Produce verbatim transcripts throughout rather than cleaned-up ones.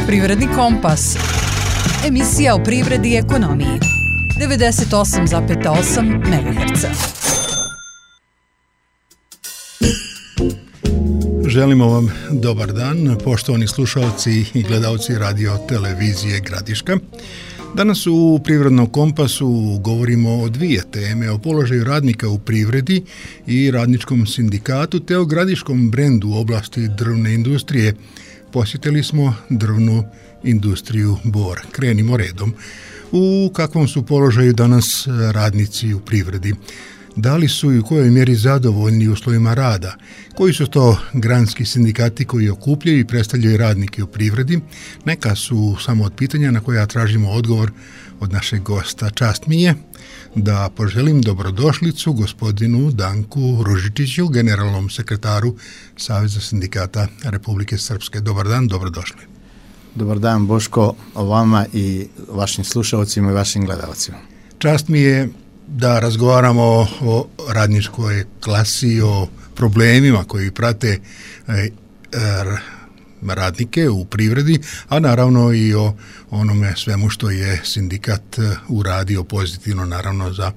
Privredni kompas. Emisija o privredi i ekonomiji. devedeset osam zarez osam megaherca. Želimo vam dobar dan, poštovani slušalci i gledalci radio televizije Gradiška. Danas u Privrednom kompasu govorimo o dvije teme, o položaju radnika u privredi i radničkom sindikatu, te o gradiškom brendu u oblasti drvne industrije. Posjetili smo drvnu industriju Bor. Krenimo redom. U kakvom su položaju danas radnici u privredi? Da li su i u kojoj mjeri zadovoljni uslovima rada? Koji su to granski sindikati koji okupljaju i predstavljaju radnike u privredi? Neka su samo od pitanja na koja tražimo odgovor od našeg gosta. Čast mi je da poželim dobrodošlicu gospodinu Danku Ružičiću, generalnom sekretaru Saveza sindikata Republike Srpske. Dobar dan, dobrodošli. Dobar dan, Boško, vama i vašim slušalcima i vašim gledalcima. Čast mi je da razgovaramo o radničkoj klasi, o problemima koji prate radnike u privredi, a naravno i o onome svemu što je sindikat uradio pozitivno, naravno za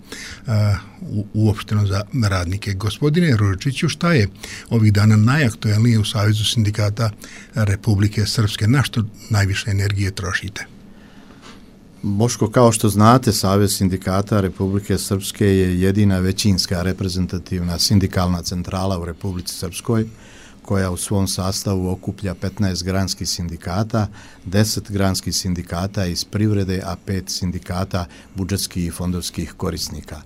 uopšteno za radnike. Gospodine Ružičiću, šta je ovih dana najaktuelnije u Savezu sindikata Republike Srpske? Na što najviše energije trošite? Boško, kao što znate, Savez sindikata Republike Srpske je jedina većinska reprezentativna sindikalna centrala u Republici Srpskoj, koja u svom sastavu okuplja petnaest granskih sindikata, deset granskih sindikata iz privrede, a pet sindikata budžetskih i fondovskih korisnika.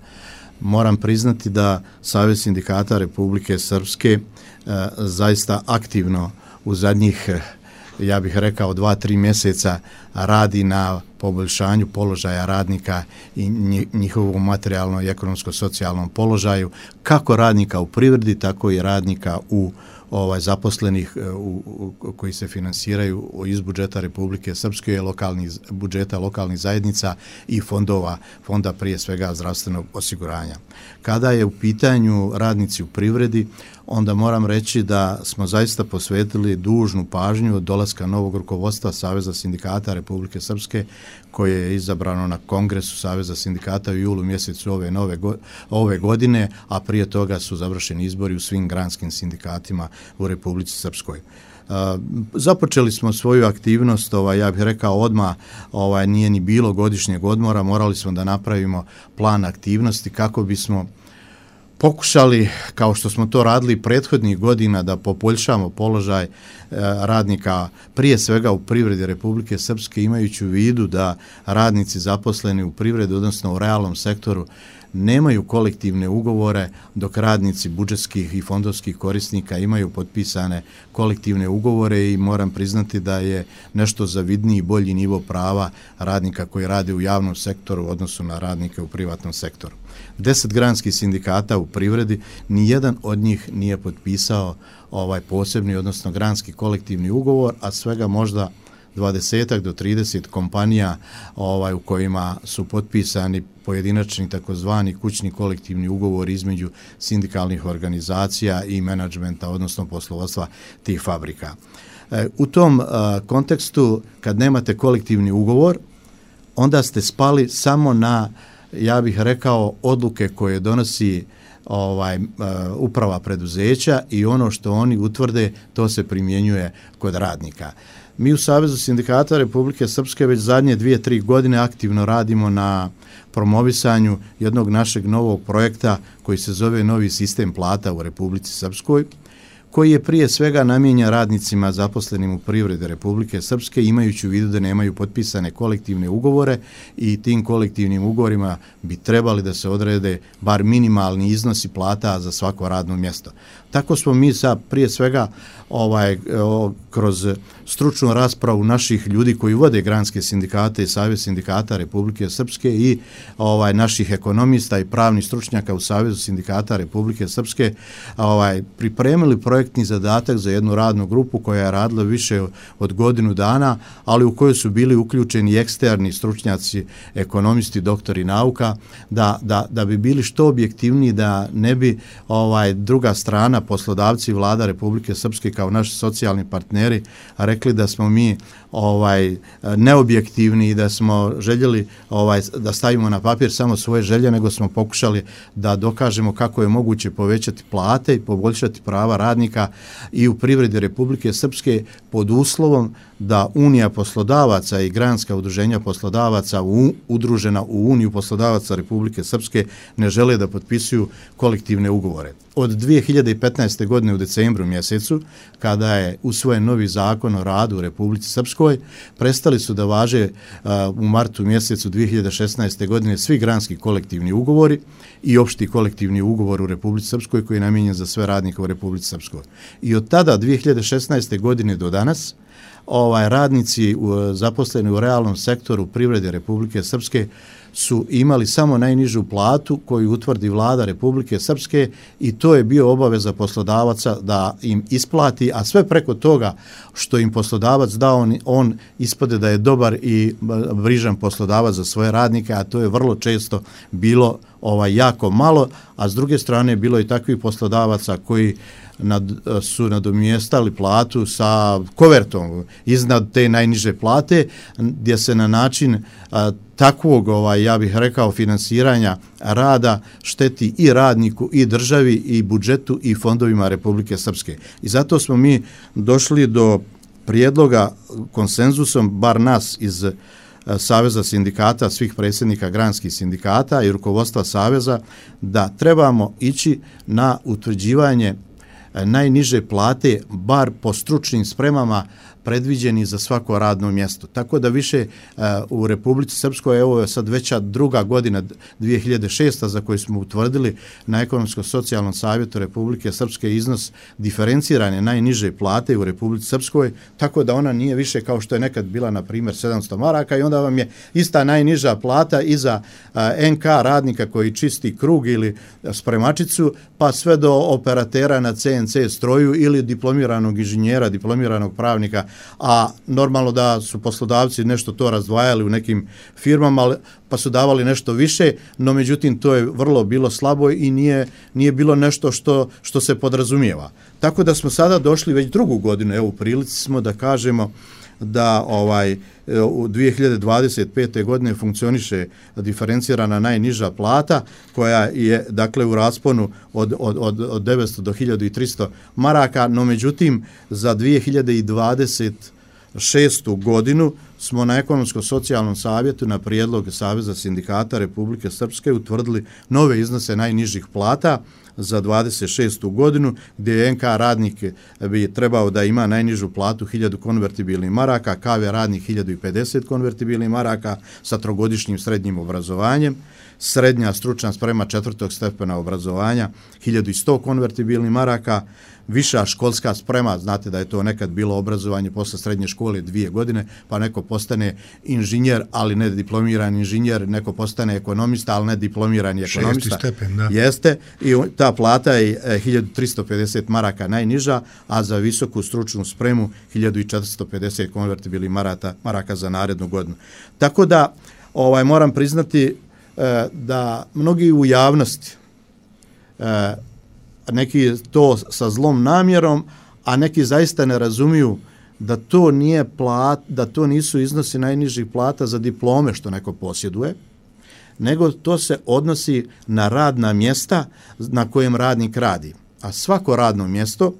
Moram priznati da Savez sindikata Republike Srpske e, zaista aktivno u zadnjih, ja bih rekao, dva, tri mjeseca radi na poboljšanju položaja radnika i njihovom materijalno i ekonomsko-socijalnom položaju, kako radnika u privredi, tako i radnika u ovaj zaposlenih u, u, koji se finansiraju iz budžeta Republike Srpske, lokalnih budžeta lokalnih zajednica i fondova, fonda prije svega zdravstvenog osiguranja. Kada je u pitanju radnici u privredi, onda moram reći da smo zaista posvetili dužnu pažnju od dolaska novog rukovodstva Saveza sindikata Republike Srpske, koje je izabrano na Kongresu Saveza sindikata u julu mjesecu ove, nove, ove godine, a prije toga su završeni izbori u svim granskim sindikatima u Republici Srpskoj. Uh, započeli smo svoju aktivnost, ovaj, ja bih rekao odmah, ovaj, nije ni bilo godišnjeg odmora, morali smo da napravimo plan aktivnosti kako bismo pokušali, kao što smo to radili prethodnih godina, da poboljšamo položaj e, radnika prije svega u privredi Republike Srpske, imajući u vidu da radnici zaposleni u privredi, odnosno u realnom sektoru, nemaju kolektivne ugovore, dok radnici budžetskih i fondovskih korisnika imaju potpisane kolektivne ugovore, i moram priznati da je nešto zavidniji i bolji nivo prava radnika koji rade u javnom sektoru u odnosu na radnike u privatnom sektoru. Deset granskih sindikata u privredi, ni jedan od njih nije potpisao ovaj posebni, odnosno granski kolektivni ugovor, a svega možda dvadeset do trideset kompanija ovaj u kojima su potpisani pojedinačni takozvani kućni kolektivni ugovor između sindikalnih organizacija i menadžmenta, odnosno poslovodstva tih fabrika. E, u tom a, kontekstu, kad nemate kolektivni ugovor, onda ste spali samo na, ja bih rekao, odluke koje donosi ovaj uprava preduzeća, i ono što oni utvrde, to se primjenjuje kod radnika. Mi u Savezu sindikata Republike Srpske već zadnje dvije, tri godine aktivno radimo na promovisanju jednog našeg novog projekta koji se zove Novi sistem plata u Republici Srpskoj, koji je prije svega namijenjen radnicima zaposlenim u privredi Republike Srpske, imajući u vidu da nemaju potpisane kolektivne ugovore, i tim kolektivnim ugovorima bi trebali da se odrede bar minimalni iznosi plata za svako radno mjesto. Tako smo mi sa prije svega ovaj o, kroz stručnu raspravu naših ljudi koji vode granske sindikate i Savez sindikata Republike Srpske i ovaj naših ekonomista i pravnih stručnjaka u Savezu sindikata Republike Srpske ovaj pripremili projektni zadatak za jednu radnu grupu koja je radila više od godinu dana, ali u kojoj su bili uključeni eksterni stručnjaci, ekonomisti, doktori nauka, da, da, da bi bili što objektivniji, da ne bi ovaj druga strana poslodavci i vlada Republike Srpske kao naši socijalni partneri rekli da smo mi ovaj neobjektivni i da smo željeli ovaj da stavimo na papir samo svoje želje, nego smo pokušali da dokažemo kako je moguće povećati plate i poboljšati prava radnika i u privredi Republike Srpske pod uslovom da Unija poslodavaca i granska udruženja poslodavaca u, udružena u Uniju poslodavaca Republike Srpske ne žele da potpisuju kolektivne ugovore. Od dvije hiljade petnaeste. godine u decembru mjesecu, kada je usvojen novi zakon o radu u Republici Srpskoj, prestali su da važe uh, u martu mjesecu dvije hiljade šesnaeste. godine svi granski kolektivni ugovori i opšti kolektivni ugovor u Republici Srpskoj koji je namijenjen za sve radnike u Republici Srpskoj. I od tada dvije hiljade šesnaeste. godine do danas ovaj radnici u, zaposleni u realnom sektoru privrede Republike Srpske su imali samo najnižu platu koju utvrdi vlada Republike Srpske i to je bio obaveza poslodavaca da im isplati, a sve preko toga što im poslodavac dao, on, on ispade da je dobar i brižan poslodavac za svoje radnike, a to je vrlo često bilo ovaj jako malo, a s druge strane bilo i takvih poslodavaca koji nad, su nadomjestali platu sa kovertom iznad te najniže plate, gdje se na način a, takvog, ovaj, ja bih rekao, finansiranja rada šteti i radniku, i državi, i budžetu, i fondovima Republike Srpske. I zato smo mi došli do prijedloga konsenzusom, bar nas iz Saveza sindikata, svih predsjednika granskih sindikata i rukovodstva Saveza, da trebamo ići na utvrđivanje najniže plate, bar po stručnim spremama predviđeni za svako radno mjesto. Tako da više uh, u Republici Srpskoj, evo je sad veća druga godina dvije hiljade šeste. za koju smo utvrdili na Ekonomsko-socijalnom savjetu Republike Srpske iznos diferencirane najniže plate u Republici Srpskoj, tako da ona nije više kao što je nekad bila, na primjer, sedamsto maraka i onda vam je ista najniža plata i za uh, en ka radnika koji čisti krug ili spremačicu, pa sve do operatera na ce en ce stroju ili diplomiranog inženjera, diplomiranog pravnika, a normalno da su poslodavci nešto to razdvajali u nekim firmama, pa su davali nešto više, no međutim to je vrlo bilo slabo i nije, nije bilo nešto što, što se podrazumijeva. Tako da smo sada došli već drugu godinu, evo u prilici smo da kažemo da ovaj u dvije hiljade dvadeset pete. godine funkcioniše diferencirana najniža plata koja je dakle u rasponu od, od, od, od devetsto do hiljadu tristo maraka, no međutim za dvije hiljade dvadeset šestu. godinu smo na Ekonomsko-socijalnom savjetu na prijedlog Saveza sindikata Republike Srpske utvrdili nove iznose najnižih plata za dvadeset šestu. godinu, gdje je en ka radnik bi trebao da ima najnižu platu hiljadu konvertibilnih maraka, ka ve radnik hiljadu pedeset konvertibilnih maraka sa trogodišnjim srednjim obrazovanjem, srednja stručna sprema četvrtog stepena obrazovanja hiljadu sto konvertibilnih maraka, viša školska sprema, znate da je to nekad bilo obrazovanje posle srednje škole dvije godine, pa neko postane inženjer, ali ne diplomirani inženjer, neko postane ekonomista, ali ne diplomirani ekonomista. Šesti stepen, da. Jeste, i ta plata je hiljadu tristo pedeset maraka najniža, a za visoku stručnu spremu hiljadu četiristo pedeset konvertibilnih maraka, maraka za narednu godinu. Tako da ovaj moram priznati e, da mnogi u javnosti e, neki to sa zlom namjerom, a neki zaista ne razumiju da to nije plat, da to nisu iznosi najnižih plata za diplome što neko posjeduje, nego to se odnosi na radna mjesta na kojem radnik radi. A svako radno mjesto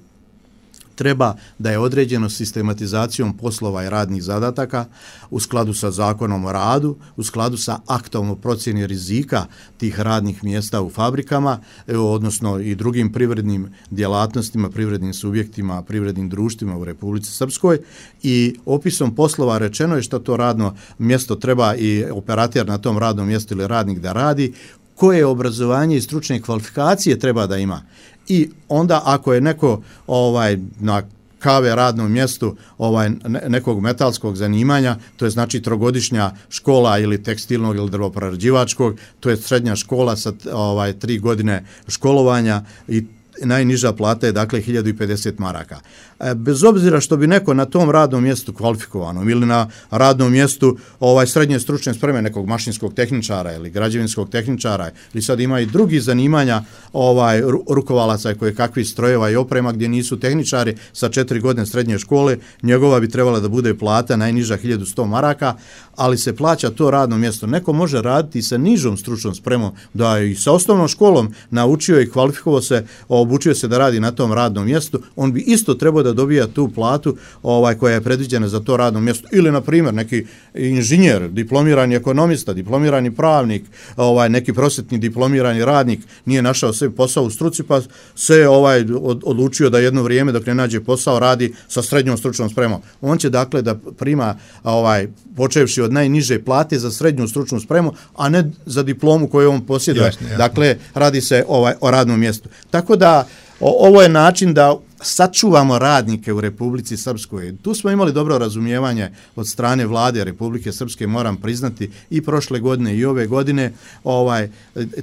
treba da je određeno sistematizacijom poslova i radnih zadataka u skladu sa zakonom o radu, u skladu sa aktom o procjeni rizika tih radnih mjesta u fabrikama, odnosno i drugim privrednim djelatnostima, privrednim subjektima, privrednim društvima u Republici Srpskoj, i opisom poslova rečeno je što to radno mjesto treba i operater na tom radnom mjestu ili radnik da radi, koje obrazovanje i stručne kvalifikacije treba da ima. I onda ako je neko ovaj na ka ve radnom mjestu ovaj nekog metalskog zanimanja, to je znači trogodišnja škola ili tekstilnog ili drvoprerađivačkog, to je srednja škola sa ovaj tri godine školovanja i najniža plata je dakle hiljadu pedeset maraka. Bez obzira što bi neko na tom radnom mjestu kvalifikovanom ili na radnom mjestu ovaj srednje stručne spreme nekog mašinskog tehničara ili građevinskog tehničara ili sad ima i drugi zanimanja ovaj rukovalaca koje kakvi strojeva i oprema gdje nisu tehničari sa četiri godine srednje škole, njegova bi trebala da bude plata najniža hiljadu sto maraka, ali se plaća to radno mjesto. Neko može raditi sa nižom stručnom spremom, da i sa osnovnom školom naučio i kvalifikovao se, obučio se da radi na tom radnom mjestu, on bi isto trebao da dobija tu platu ovaj koja je predviđena za to radno mjesto. Ili na primjer neki inženjer, diplomirani ekonomista, diplomirani pravnik, ovaj neki prosvetni diplomirani radnik nije našao sebi posao u struci pa se ovaj odlučio da jedno vrijeme dok ne nađe posao radi sa srednjom stručnom spremom. On će dakle da prima ovaj počevši od najniže plate za srednju stručnu spremu, a ne za diplomu koju on posjeduje. Jasne, jasne. Dakle, radi se ovaj o radnom mjestu. Tako da o, ovo je način da sačuvamo radnike u Republici Srpskoj. Tu smo imali dobro razumijevanje od strane vlade Republike Srpske, moram priznati, i prošle godine i ove godine. Ovaj,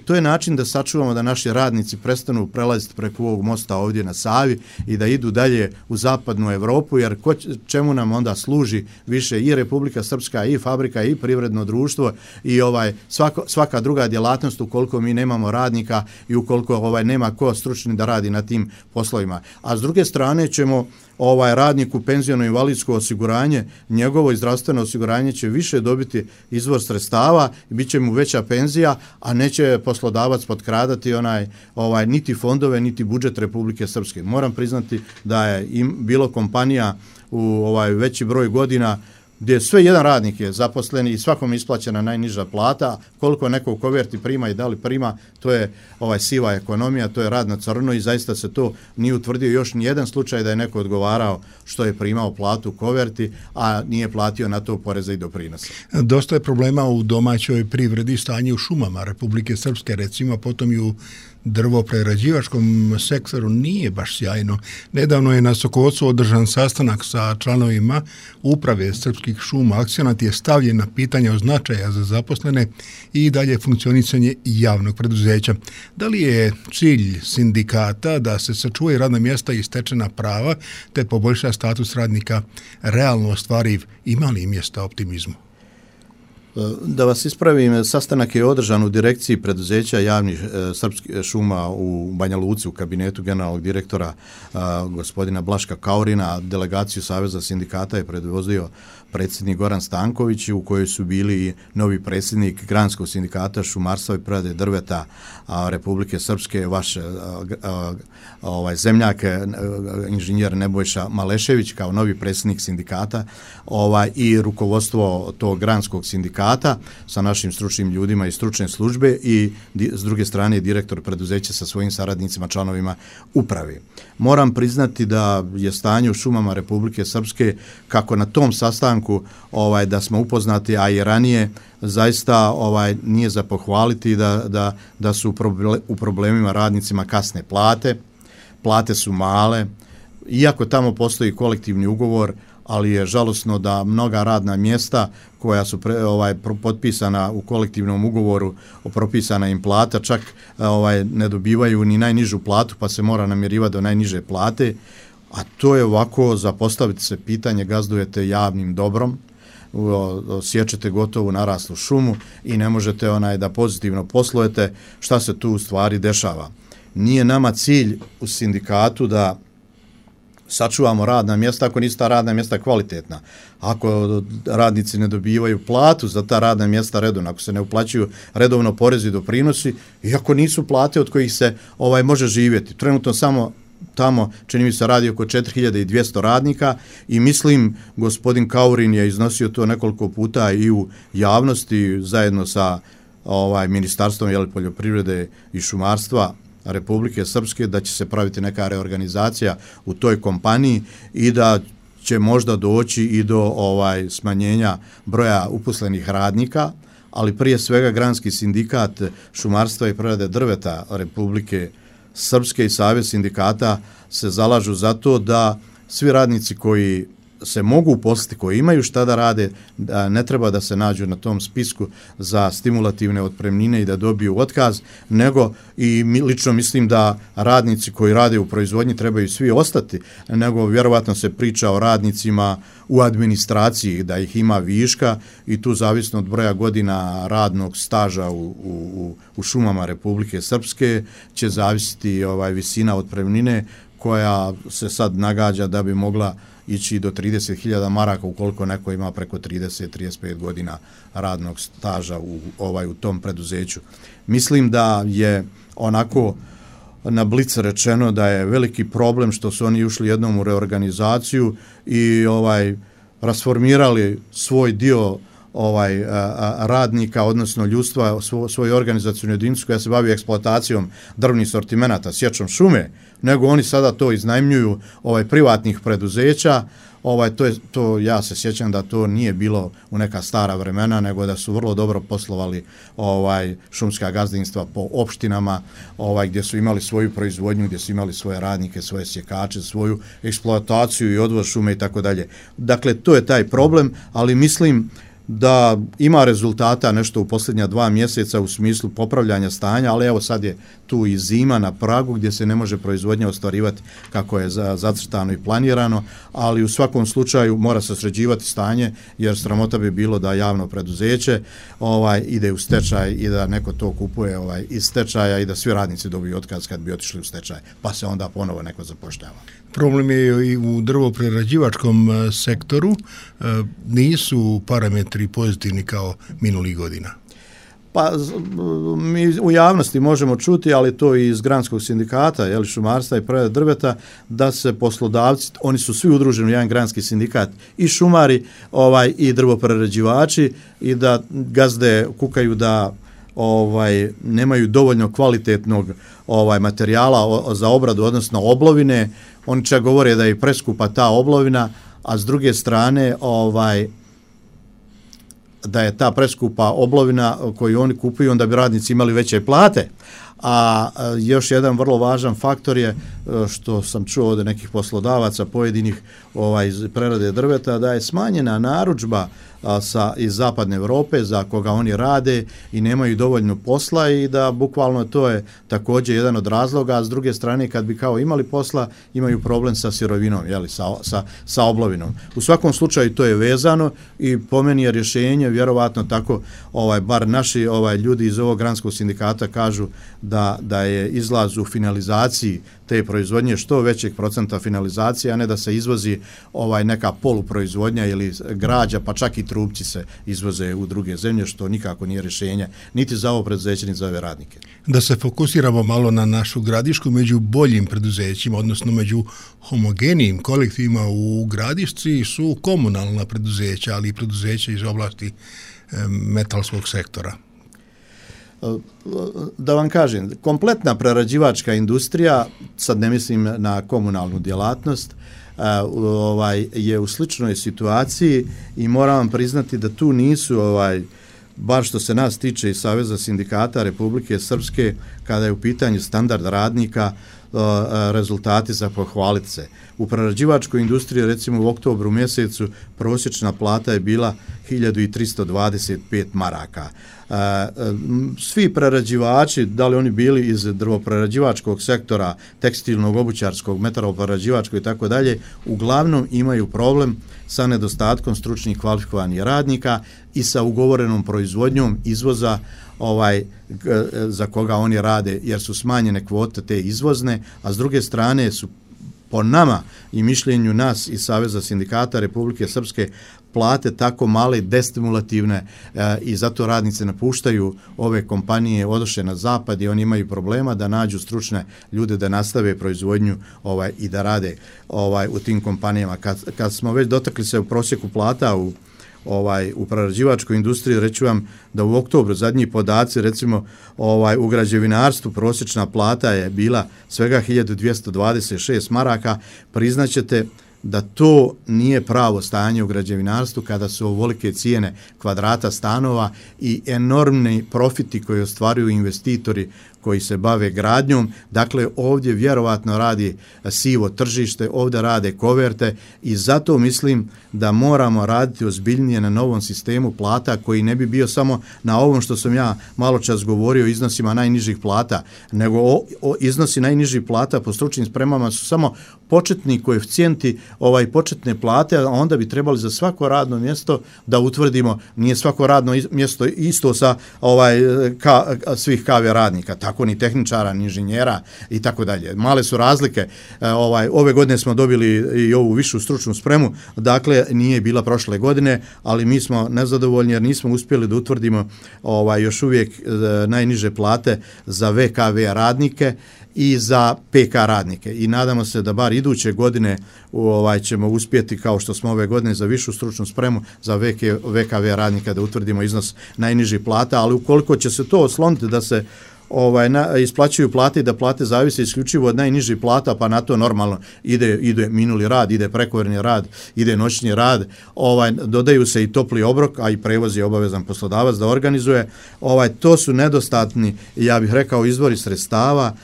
to je način da sačuvamo da naši radnici prestanu prelaziti preko ovog mosta ovdje na Savi i da idu dalje u zapadnu Evropu, jer ko, čemu nam onda služi više i Republika Srpska i fabrika i privredno društvo i ovaj svako, svaka druga djelatnost ukoliko mi nemamo radnika i ukoliko ovaj nema ko stručni da radi na tim poslovima. A s druge strane ćemo ovaj radniku penziono invalidsko osiguranje, njegovo i zdravstveno osiguranje će više dobiti izvor sredstava i bit će mu veća penzija, a neće poslodavac potkradati onaj ovaj niti fondove niti budžet Republike Srpske. Moram priznati da je im bilo kompanija u ovaj veći broj godina gdje sve jedan radnik je zaposlen i svakom isplaćena najniža plata, koliko neko u koverti prima i da li prima, to je ovaj siva ekonomija, to je rad na crno i zaista se to nije utvrdio još ni jedan slučaj da je neko odgovarao što je primao platu u koverti, a nije platio na to poreze i doprinose. Dosta je problema u domaćoj privredi, stanje u šumama Republike Srpske, recimo, potom i u drvoprerađivačkom sektoru nije baš sjajno. Nedavno je na Sokocu održan sastanak sa članovima uprave Srpskih šuma. Akcenat je stavljen na pitanje o značaja za zaposlene i dalje funkcionisanje javnog preduzeća. Da li je cilj sindikata da se sačuvaju radna mjesta i stečena prava te poboljša status radnika realno ostvariv? Ima li mjesta optimizmu? Da vas ispravim, sastanak je održan u direkciji preduzeća javnih e, srpskih šuma u Banja Luci u kabinetu generalnog direktora e, gospodina Blaška Kaurina. Delegaciju Saveza sindikata je predvodio predsjednik Goran Stanković, u kojoj su bili novi predsjednik Granskog sindikata šumarstva i prerade drveta a, Republike Srpske, vaš a, a, ovaj zemljak a, inženjer Nebojša Malešević kao novi predsjednik sindikata, ovaj i rukovodstvo tog Granskog sindikata sa našim stručnim ljudima i stručne službe i di, s druge strane direktor preduzeća sa svojim saradnicima, članovima uprave. Moram priznati da je stanje u šumama Republike Srpske, kako na tom sastanku ovaj da smo upoznati, a i ranije, zaista ovaj nije za pohvaliti da, da, da su u problemima radnicima kasne plate, plate su male, iako tamo postoji kolektivni ugovor, ali je žalosno da mnoga radna mjesta koja su pre, ovaj potpisana u kolektivnom ugovoru o propisana im plata čak ovaj ne dobivaju ni najnižu platu, pa se mora namirivati do najniže plate, a to je ovako za postaviti se pitanje, gazdujete javnim dobrom, osjećate gotovu naraslu šumu i ne možete onaj da pozitivno poslujete, šta se tu u stvari dešava. Nije nama cilj u sindikatu da sačuvamo radna mjesta ako nisu ta radna mjesta kvalitetna. Ako radnici ne dobivaju platu za ta radna mjesta redovno, ako se ne uplaćuju redovno porezi i doprinosi, i ako nisu plate od kojih se ovaj može živjeti. Trenutno samo tamo, čini mi se, radi oko četiri hiljade dvjesto radnika i mislim, gospodin Kaurin je iznosio to nekoliko puta i u javnosti zajedno sa ovaj ministarstvom jel, poljoprivrede i šumarstva Republike Srpske, da će se praviti neka reorganizacija u toj kompaniji i da će možda doći i do ovaj smanjenja broja uposlenih radnika, ali prije svega Granski sindikat šumarstva i prerade drveta Republike Srpske i Savez sindikata se zalažu za to da svi radnici koji se mogu uposliti, koji imaju šta da rade, da ne treba da se nađu na tom spisku za stimulativne otpremnine i da dobiju otkaz, nego i lično mislim da radnici koji rade u proizvodnji trebaju svi ostati, nego vjerovatno se priča o radnicima u administraciji, da ih ima viška i tu zavisno od broja godina radnog staža u, u, u šumama Republike Srpske će zavisiti ovaj visina otpremnine koja se sad nagađa da bi mogla ići do trideset hiljada maraka ukoliko neko ima preko trideset do trideset pet godina radnog staža u, ovaj, u tom preduzeću. Mislim da je onako na blic rečeno da je veliki problem što su oni ušli jednom u reorganizaciju i ovaj rasformirali svoj dio ovaj a, a, radnika, odnosno ljudstva, svo, svoju organizacijnu jedinicu koja se bavi eksploatacijom drvnih sortimenata, sječom šume, nego oni sada to iznajmljuju ovaj privatnih preduzeća. Ovaj to je to ja se sjećam da to nije bilo u neka stara vremena, nego da su vrlo dobro poslovali ovaj šumska gazdinstva po opštinama, ovaj gdje su imali svoju proizvodnju, gdje su imali svoje radnike, svoje sjekače, svoju eksploataciju i odvoz šume i tako dalje. Dakle, to je taj problem, ali mislim da ima rezultata nešto u posljednja dva mjeseca u smislu popravljanja stanja, ali evo sad je tu i zima na pragu gdje se ne može proizvodnja ostvarivati kako je zacrtano i planirano, ali u svakom slučaju mora se sređivati stanje, jer sramota bi bilo da javno preduzeće ovaj ide u stečaj i da neko to kupuje ovaj iz stečaja i da svi radnici dobiju otkaz kad bi otišli u stečaj, pa se onda ponovo neko zapošljava. Problem je i u drvoprerađivačkom sektoru, nisu parametri pozitivni kao minulih godina. Pa mi u javnosti možemo čuti, ali to i iz granskog sindikata, jel, šumarstva i prerade drveta, da se poslodavci, oni su svi udruženi u jedan granski sindikat, i šumari ovaj i drvoprerađivači, i da gazde kukaju da ovaj nemaju dovoljno kvalitetnog ovaj materijala o, za obradu, odnosno oblovine. Oni čak govore da je preskupa ta oblovina, a s druge strane ovaj da je ta preskupa oblovina koju oni kupuju, onda bi radnici imali veće plate. A još jedan vrlo važan faktor je, što sam čuo od nekih poslodavaca pojedinih ovaj iz prerade drveta, da je smanjena narudžba a, sa iz zapadne Europe za koga oni rade i nemaju dovoljno posla, i da bukvalno to je također jedan od razloga, a s druge strane kad bi kao imali posla imaju problem sa sirovinom, jeli, sa, sa, sa oblovinom. U svakom slučaju to je vezano i po meni je rješenje vjerovatno tako, ovaj bar naši ovaj ljudi iz ovog granskog sindikata kažu da, da je izlaz u finalizaciji te proizvodnje što većeg procenta finalizacije, a ne da se izvozi ovaj neka poluproizvodnja ili građa, pa čak i trupci se izvoze u druge zemlje, što nikako nije rješenje niti za ovo preduzeće, niti za ove radnike. Da se fokusiramo malo na našu Gradišku, među boljim preduzećima, odnosno među homogenijim kolektivima u Gradišci su komunalna preduzeća, ali i preduzeća iz oblasti metalskog sektora. Da vam kažem, kompletna prerađivačka industrija, sad ne mislim na komunalnu djelatnost, ovaj je u sličnoj situaciji i moram vam priznati da tu nisu ovaj bar što se nas tiče i Saveza sindikata Republike Srpske, kada je u pitanju standard radnika, rezultati za pohvaliti se. U prerađivačkoj industriji, recimo u oktobru mjesecu, prosječna plata je bila hiljadu tristo dvadeset pet maraka. Svi prerađivači, da li oni bili iz drvoprerađivačkog sektora, tekstilnog, obućarskog, metaloprerađivačkog i tako dalje, uglavnom imaju problem sa nedostatkom stručnih kvalifikovanih radnika i sa ugovorenom proizvodnjom izvoza ovaj za koga oni rade, jer su smanjene kvote te izvozne, a s druge strane su po nama i mišljenju nas iz Saveza sindikata Republike Srpske plate tako male, destimulativne e, i zato radnice napuštaju ove kompanije, odoše na zapad i oni imaju problema da nađu stručne ljude da nastave proizvodnju ovaj i da rade ovaj u tim kompanijama. Kad, kad smo već dotakli se u prosjeku plata u ovaj u prerađivačkoj industriji, reću vam da u oktobru zadnji podaci, recimo ovaj u građevinarstvu prosječna plata je bila svega hiljadu dvjesto dvadeset šest maraka. Priznaćete da to nije pravo stanje u građevinarstvu kada su ovolike cijene kvadrata stanova i enormni profiti koji ostvaruju investitori koji se bave gradnjom. Dakle, ovdje vjerovatno radi sivo tržište, ovdje rade koverte i zato mislim da moramo raditi ozbiljnije na novom sistemu plata koji ne bi bio samo na ovom što sam ja malo čas govorio, iznosima najnižih plata, nego o, o, iznosi najnižih plata po stručnim spremama su samo početni koeficijenti, ovaj početne plate, a onda bi trebali za svako radno mjesto da utvrdimo, nije svako radno mjesto isto sa ovaj ka, svih kave radnika, tako ni tehničara, ni inženjera i tako dalje. Male su razlike. Ovaj ove godine smo dobili i ovu višu stručnu spremu, dakle nije bila prošle godine, ali mi smo nezadovoljni jer nismo uspjeli da utvrdimo ovaj još uvijek najniže plate za V K V radnike i za P K radnike i nadamo se da bar iduće godine ovaj ćemo uspjeti kao što smo ove godine za višu stručnu spremu za V K V radnika da utvrdimo iznos najnižih plata, ali ukoliko će se to osloniti da se ovaj na, isplaćuju plate i da plate zavise isključivo od najnižih plata, pa na to normalno ide ide minuli rad, ide prekovremeni rad, ide noćni rad, ovaj dodaju se i topli obrok, a i prevoz je obavezan poslodavac da organizuje. Ovaj to su nedostatni, ja bih rekao, izvori sredstava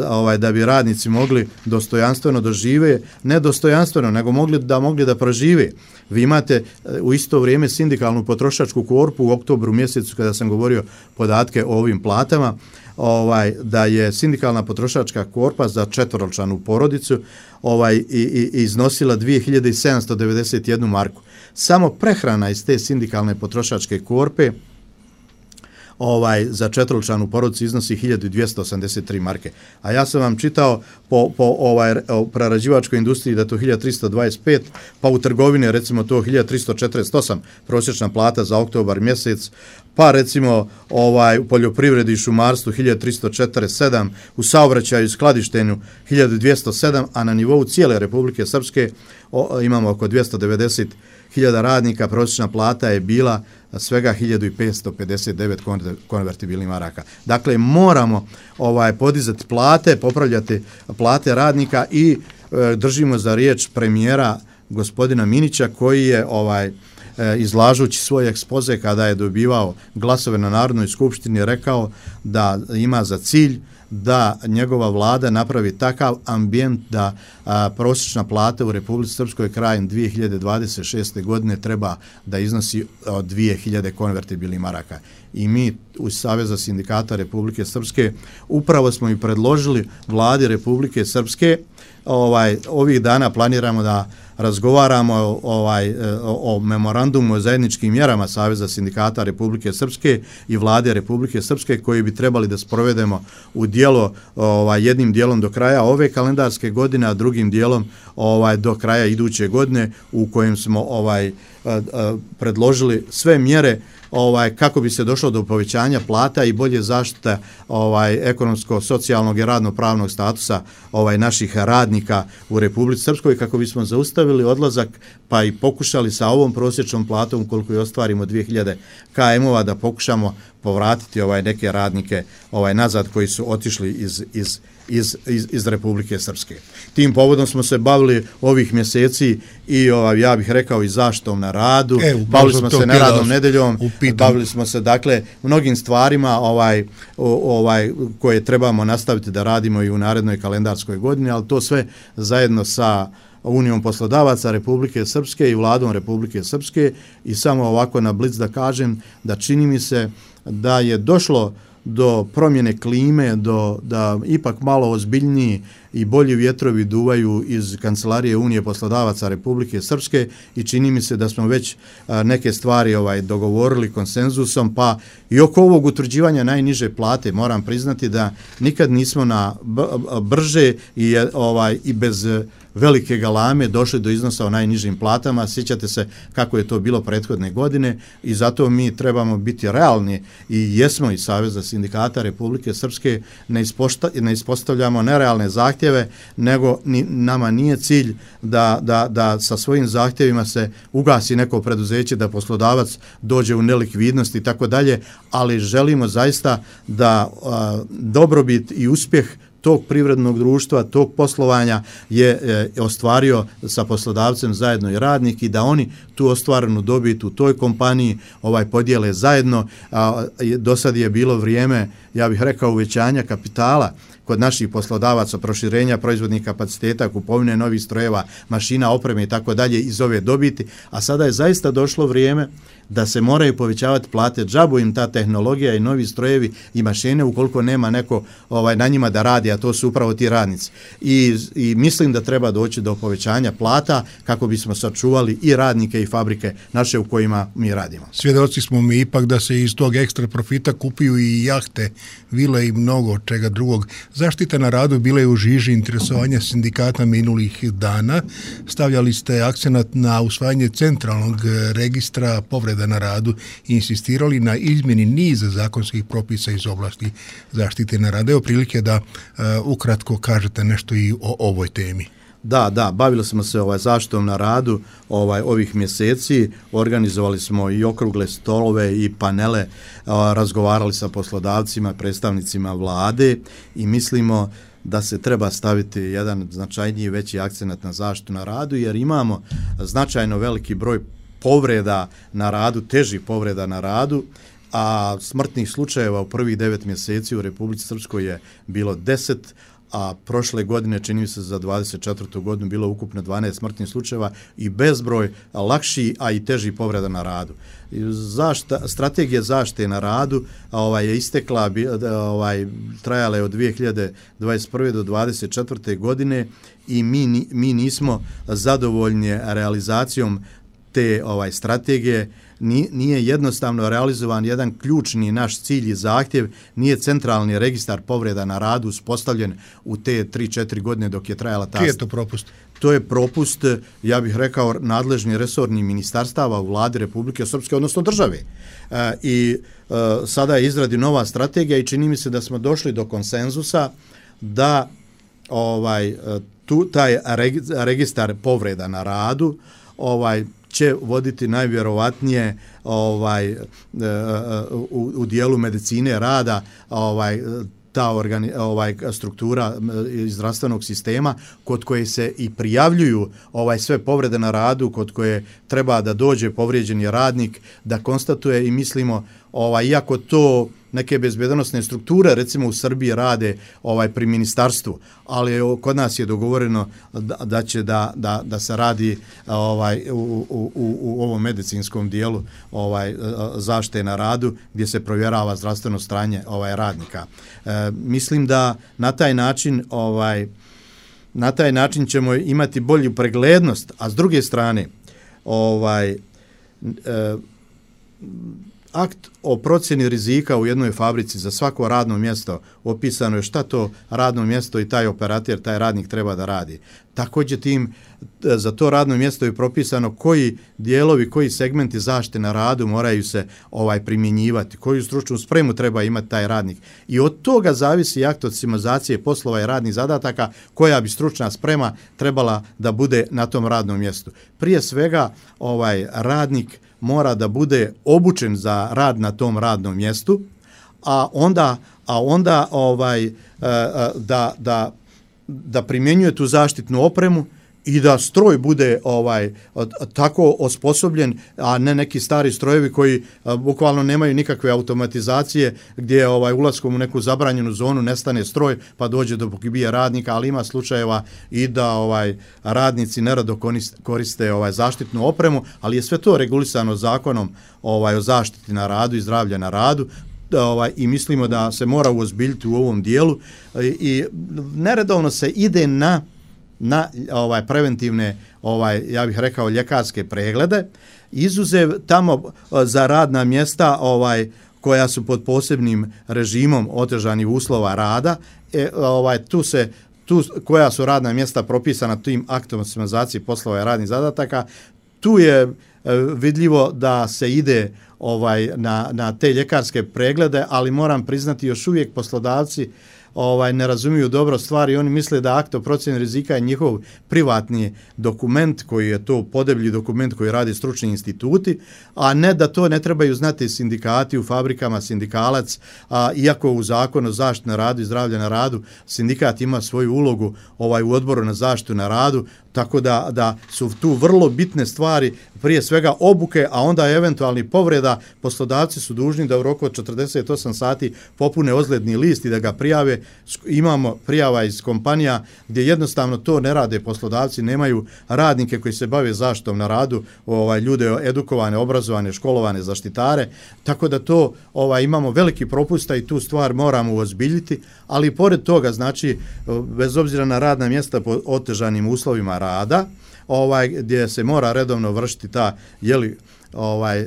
ovaj da bi radnici mogli dostojanstveno dožive, ne dostojanstveno, nego mogli da mogli da prožive. Vi imate u isto vrijeme sindikalnu potrošačku korpu u oktobru mjesecu kada sam govorio podatke o ovim platama, ovaj da je sindikalna potrošačka korpa za četvoročlanu porodicu ovaj i, i iznosila dvije hiljade sedamsto devedeset jednu marku. Samo prehrana iz te sindikalne potrošačke korpe ovaj za četvoročlanu porodicu iznosi hiljadu dvjesto osamdeset tri marke. A ja sam vam čitao po po ovaj o prerađivačkoj industriji da to hiljadu tristo dvadeset pet, pa u trgovini recimo to hiljadu tristo četrdeset osam prosječna plata za oktobar mjesec, pa recimo ovaj u poljoprivredi i šumarstvu hiljadu tristo četrdeset sedam, u saobraćaju i skladištenju hiljadu dvjesto sedam, a na nivou cijele Republike Srpske o, imamo oko dvjesto devedeset hiljada radnika, prosječna plata je bila svega hiljadu petsto pedeset devet konvertibilnih maraka. Dakle, moramo ovaj podizati plate, popravljati plate radnika i e, držimo za riječ premijera gospodina Minića koji je ovaj e, izlažući svoj ekspoze kada je dobivao glasove na Narodnoj skupštini rekao da ima za cilj da njegova vlada napravi takav ambijent da a, prosječna plata u Republici Srpskoj krajem dvije hiljade dvadeset šeste godine treba da iznosi od dvije hiljade konvertibilnih maraka. I mi u Saveza sindikata Republike Srpske upravo smo i predložili vladi Republike Srpske, ovaj ovih dana planiramo da razgovaramo ovaj o, o memorandumu o zajedničkim mjerama Saveza sindikata Republike Srpske i vlade Republike Srpske koji bi trebali da sprovedemo u djelo ovaj jednim dijelom do kraja ove kalendarske godine, a drugim dijelom ovaj do kraja iduće godine, u kojem smo ovaj a, a, predložili sve mjere ovaj kako bi se došlo do povećanja plata i bolje zaštite ovaj ekonomsko-socijalnog i radno-pravnog statusa ovaj naših radnika u Republici Srpskoj, kako bismo zaustavili odlazak pa i pokušali sa ovom prosječnom platom koliko je ostvarimo dvije hiljade km-ova da pokušamo povratiti ovaj neke radnike ovaj nazad koji su otišli iz iz Iz, iz, iz Republike Srpske. Tim povodom smo se bavili ovih mjeseci i ovaj, ja bih rekao i zaštitom na radu, e, bavili smo se neradnom nedeljom, bavili smo se dakle mnogim stvarima ovaj, o, ovaj koje trebamo nastaviti da radimo i u narednoj kalendarskoj godini, ali to sve zajedno sa Unijom poslodavaca Republike Srpske i vladom Republike Srpske. I samo ovako na blic da kažem da čini mi se da je došlo do promjene klime, do da ipak malo ozbiljniji i bolji vjetrovi duvaju iz kancelarije Unije poslodavaca Republike Srpske i čini mi se da smo već a, neke stvari ovaj dogovorili konsenzusom, pa i oko ovog utvrđivanja najniže plate moram priznati da nikad nismo na brže i ovaj i bez velike galame došli do iznosa o najnižim platama. Sjećate se kako je to bilo prethodne godine i zato mi trebamo biti realni i jesmo i Saveza sindikata Republike Srpske, ne, ispošta, ne ispostavljamo nerealne zahtjeve, nego ni, nama nije cilj da, da, da sa svojim zahtjevima se ugasi neko preduzeće, da poslodavac dođe u nelikvidnost i tako dalje, ali želimo zaista da a, dobrobit i uspjeh tog privrednog društva, tog poslovanja je e, ostvario sa poslodavcem zajedno i radnik i da oni tu ostvarenu dobit u toj kompaniji ovaj podijele zajedno. A, do sad je bilo vrijeme, ja bih rekao, uvećanja kapitala kod naših poslodavaca, proširenja proizvodnih kapaciteta, kupovine novih strojeva, mašina, opreme i tako dalje iz ove dobiti, a sada je zaista došlo vrijeme da se moraju povećavati plate. Džabu im ta tehnologija i novi strojevi i mašine ukoliko nema neko ovaj na njima da radi, a to su upravo ti radnici. I, i mislim da treba doći do povećanja plata kako bismo sačuvali i radnike i fabrike naše u kojima mi radimo. Svjedoci smo mi ipak da se iz tog ekstra profita kupuju i jahte, vile i mnogo čega drugog. Zaštita na radu bila je u žiži interesovanja sindikata minulih dana. Stavljali ste akcenat na usvajanje centralnog registra povreda na radu i insistirali na izmjeni niza zakonskih propisa iz oblasti zaštite na radu. Evo prilike da uh, ukratko kažete nešto i o ovoj temi. Da, da, bavili smo se ovaj zaštitom na radu ovaj ovih mjeseci, organizovali smo i okrugle stolove i panele, a, razgovarali sa poslodavcima, predstavnicima vlade i mislimo da se treba staviti jedan značajniji veći akcenat na zaštitu na radu jer imamo značajno veliki broj povreda na radu, težih povreda na radu, a smrtnih slučajeva u prvih devet mjeseci u Republici Srpskoj je bilo deset, a prošle godine, čini mi se za dvadeset četvrtu godinu, bilo ukupno dvanaest smrtnih slučajeva i bezbroj lakši, a i teži povreda na radu. Zašta, strategija zaštite na radu ovaj, je istekla, ovaj, trajala je od dvije hiljade dvadeset prve do dvadeset četvrte godine i mi, mi nismo zadovoljni realizacijom te ovaj strategije. Nije jednostavno realizovan jedan ključni naš cilj i zahtjev, nije centralni registar povreda na radu uspostavljen u te tri četiri godine dok je trajala ta... Čiji je to propust? To je propust, ja bih rekao, nadležni resorni ministarstava u vladi Republike Srpske, odnosno države. E, I e, sada je izradi nova strategija i čini mi se da smo došli do konsenzusa da ovaj tu taj registar povreda na radu ovaj će voditi najvjerovatnije ovaj u, u dijelu medicine rada ovaj ta organi, ovaj struktura zdravstvenog sistema kod koje se i prijavljuju ovaj sve povrede na radu, kod koje treba da dođe povrijeđeni radnik da konstatuje i mislimo ovaj iako to neke bezbednosne strukture recimo u Srbiji rade ovaj pri ministarstvu, ali kod nas je dogovoreno da, da će da, da, da se radi ovaj u, u, u ovom medicinskom dijelu ovaj zaštite na radu gdje se provjerava zdravstveno stanje ovaj radnika. E, mislim da na taj način ovaj na taj način ćemo imati bolju preglednost, a s druge strane ovaj e, akt o procjeni rizika u jednoj fabrici za svako radno mjesto opisano je šta to radno mjesto i taj operater, taj radnik treba da radi. Također tim za to radno mjesto je propisano koji dijelovi, koji segmenti zaštite na radu moraju se ovaj primjenjivati, koju stručnu spremu treba imati taj radnik. I od toga zavisi akt od sistematizacije poslova i radnih zadataka koja bi stručna sprema trebala da bude na tom radnom mjestu. Prije svega ovaj radnik mora da bude obučen za rad na tom radnom mjestu, a onda a onda ovaj da da da primjenjuje tu zaštitnu opremu i da stroj bude ovaj tako osposobljen, a ne neki stari strojevi koji a, bukvalno nemaju nikakve automatizacije gdje ovaj ulaskom u neku zabranjenu zonu nestane stroj pa dođe do pogibija radnika, ali ima slučajeva i da ovaj radnici nerado koriste ovaj zaštitnu opremu, ali je sve to regulisano zakonom ovaj o zaštiti na radu i zdravlja na radu. Ovaj, i mislimo da se mora uozbiljiti u ovom dijelu i, i neredovno se ide na na ovaj preventivne ovaj ja bih rekao ljekarske preglede, izuzev tamo za radna mjesta ovaj koja su pod posebnim režimom otežanih uslova rada, e, ovaj tu se tu koja su radna mjesta propisana tim aktom o sistematizaciji poslova i radnih zadataka, tu je e, vidljivo da se ide ovaj na na te ljekarske preglede, ali moram priznati još uvijek poslodavci ovaj ne razumiju dobro stvari, oni misle da akt o procjeni rizika je njihov privatni dokument koji je to podeblji dokument koji radi stručni instituti, a ne da to ne trebaju znati sindikati u fabrikama, sindikalac, a iako u zakonu o zaštiti na radu i zdravlja na radu sindikat ima svoju ulogu ovaj u odboru na zaštitu na radu, tako da, da su tu vrlo bitne stvari, prije svega obuke, a onda eventualni povreda, poslodavci su dužni da u roku od četrdeset osam sati popune ozledni list i da ga prijave. Imamo prijava iz kompanija gdje jednostavno to ne rade poslodavci, nemaju radnike koji se bave zaštitom na radu, ovaj ljude edukovane, obrazovane, školovane zaštitare, tako da to ovaj imamo veliki propusta i tu stvar moramo uozbiljiti, ali pored toga, znači, bez obzira na radna mjesta po otežanim uslovima rada, ovaj gdje se mora redovno vršiti ta je li ovaj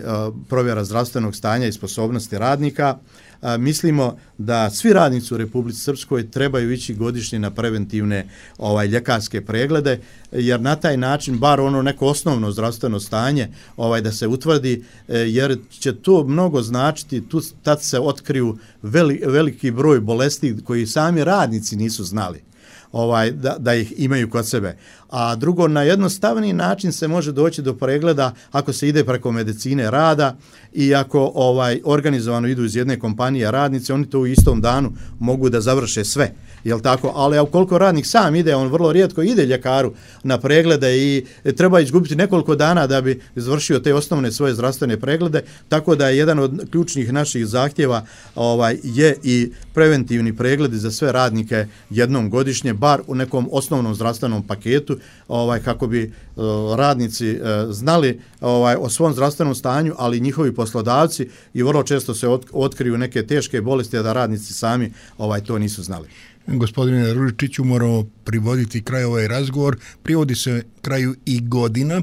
provjera zdravstvenog stanja i sposobnosti radnika, a, mislimo da svi radnici u Republici Srpskoj trebaju ići godišnje na preventivne ovaj ljekarske preglede, jer na taj način bar ono neko osnovno zdravstveno stanje ovaj da se utvrdi, jer će to mnogo značiti, tu tad se otkriju veli, veliki broj bolesti koji sami radnici nisu znali. Ovaj, da, da ih imaju kod sebe. A drugo, na jednostavniji način se može doći do pregleda ako se ide preko medicine rada i ako ovaj organizovano idu iz jedne kompanije radnici, oni to u istom danu mogu da završe sve. Jel tako? Ali ukoliko radnik sam ide, on vrlo rijetko ide ljekaru na preglede i treba izgubiti nekoliko dana da bi izvršio te osnovne svoje zdravstvene preglede, tako da je jedan od ključnih naših zahtjeva ovaj je i preventivni pregledi za sve radnike jednom godišnje, bar u nekom osnovnom zdravstvenom paketu, ovaj kako bi uh, radnici uh, znali ovaj o svom zdravstvenom stanju, ali njihovi poslodavci i vrlo često se ot, otkriju neke teške bolesti, a da radnici sami ovaj to nisu znali. Gospodine Ružičiću, moramo privoditi kraj ovaj razgovor. Privodi se kraju i godina.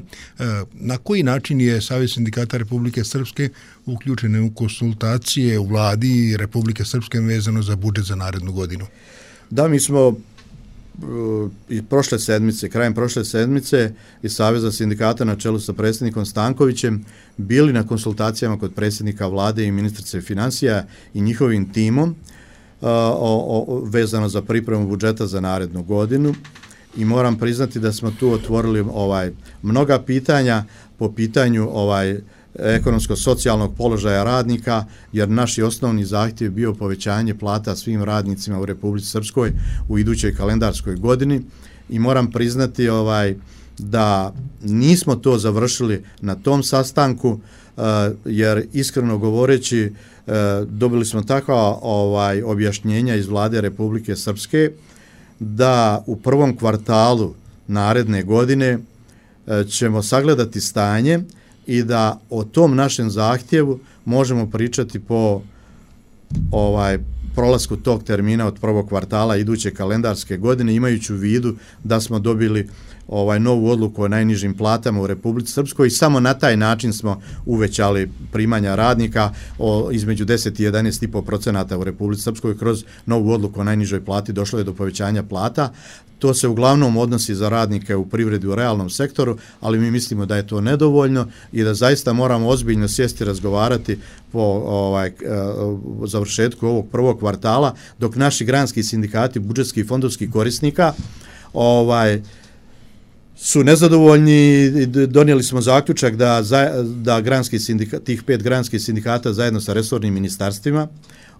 Na koji način je Savez sindikata Republike Srpske uključen u konsultacije u vladi Republike Srpske vezano za budžet za narednu godinu? Da, mi smo i prošle sedmice, krajem prošle sedmice iz Saveza sindikata na čelu sa predsjednikom Stankovićem bili na konsultacijama kod predsjednika vlade i ministrice financija i njihovim timom o, o, vezano za pripremu budžeta za narednu godinu, i moram priznati da smo tu otvorili ovaj mnoga pitanja po pitanju ovaj ekonomsko-socijalnog položaja radnika, jer naš osnovni zahtjev bio povećanje plata svim radnicima u Republici Srpskoj u idućoj kalendarskoj godini, i moram priznati ovaj da nismo to završili na tom sastanku, jer iskreno govoreći dobili smo takva ovaj objašnjenja iz vlade Republike Srpske da u prvom kvartalu naredne godine ćemo sagledati stanje i da o tom našem zahtjevu možemo pričati po ovaj prolasku tog termina od prvog kvartala iduće kalendarske godine, imajući u vidu da smo dobili ovaj novu odluku o najnižim platama u Republici Srpskoj i samo na taj način smo uvećali primanja radnika o između deset i jedanaest zarez pet posto u Republici Srpskoj. Kroz novu odluku o najnižoj plati došlo je do povećanja plata. To se uglavnom odnosi za radnike u privredi u realnom sektoru, ali mi mislimo da je to nedovoljno i da zaista moramo ozbiljno sjesti i razgovarati po ovaj završetku ovog prvog kvartala, dok naši granski sindikati budžetskih i fondovskih korisnika ovaj su nezadovoljni. Donijeli smo zaključak da za, da granski sindikat, tih pet granskih sindikata zajedno sa resornim ministarstvima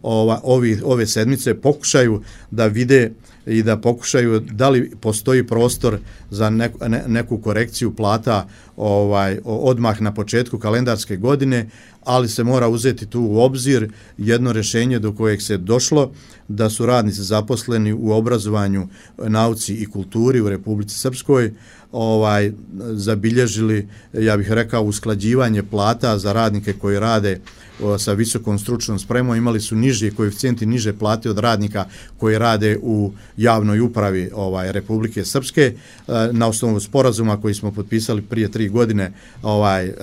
ova ovi ove sedmice pokušaju da vide i da pokušaju da li postoji prostor za neku, ne, neku korekciju plata ovaj odmah na početku kalendarske godine, ali se mora uzeti tu u obzir jedno rješenje do kojeg se došlo, da su radnici zaposleni u obrazovanju, nauci i kulturi u Republici Srpskoj ovaj zabilježili, ja bih rekao, usklađivanje plata za radnike koji rade o, sa visokom stručnom spremom. Imali su niže koeficijenti, niže plate od radnika koji rade u javnoj upravi ovaj Republike Srpske, na osnovu sporazuma koji smo potpisali prije tri godine, ovaj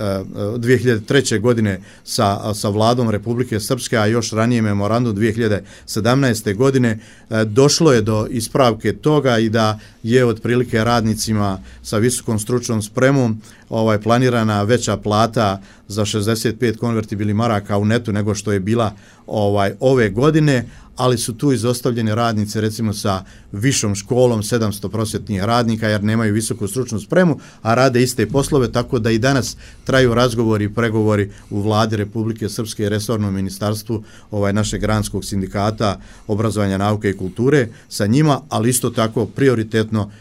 dvije hiljade treće godine sa sa vladom Republike Srpske, a još ranije memorandum dvije hiljade sedamnaeste godine, došlo je do ispravke toga i da je otprilike radnicima sa visokom stručnom spremom ovaj planirana veća plata za šezdeset pet konvertibilnih maraka u netu nego što je bila ovaj ove godine, ali su tu izostavljeni radnici recimo sa višom školom, sedamsto prosvjetnih radnika jer nemaju visoku stručnu spremu, a rade iste poslove, tako da i danas traju razgovori i pregovori u vladi Republike Srpske i resornom ministarstvu ovaj našeg granskog sindikata obrazovanja, nauke i kulture sa njima, ali isto tako prioritetno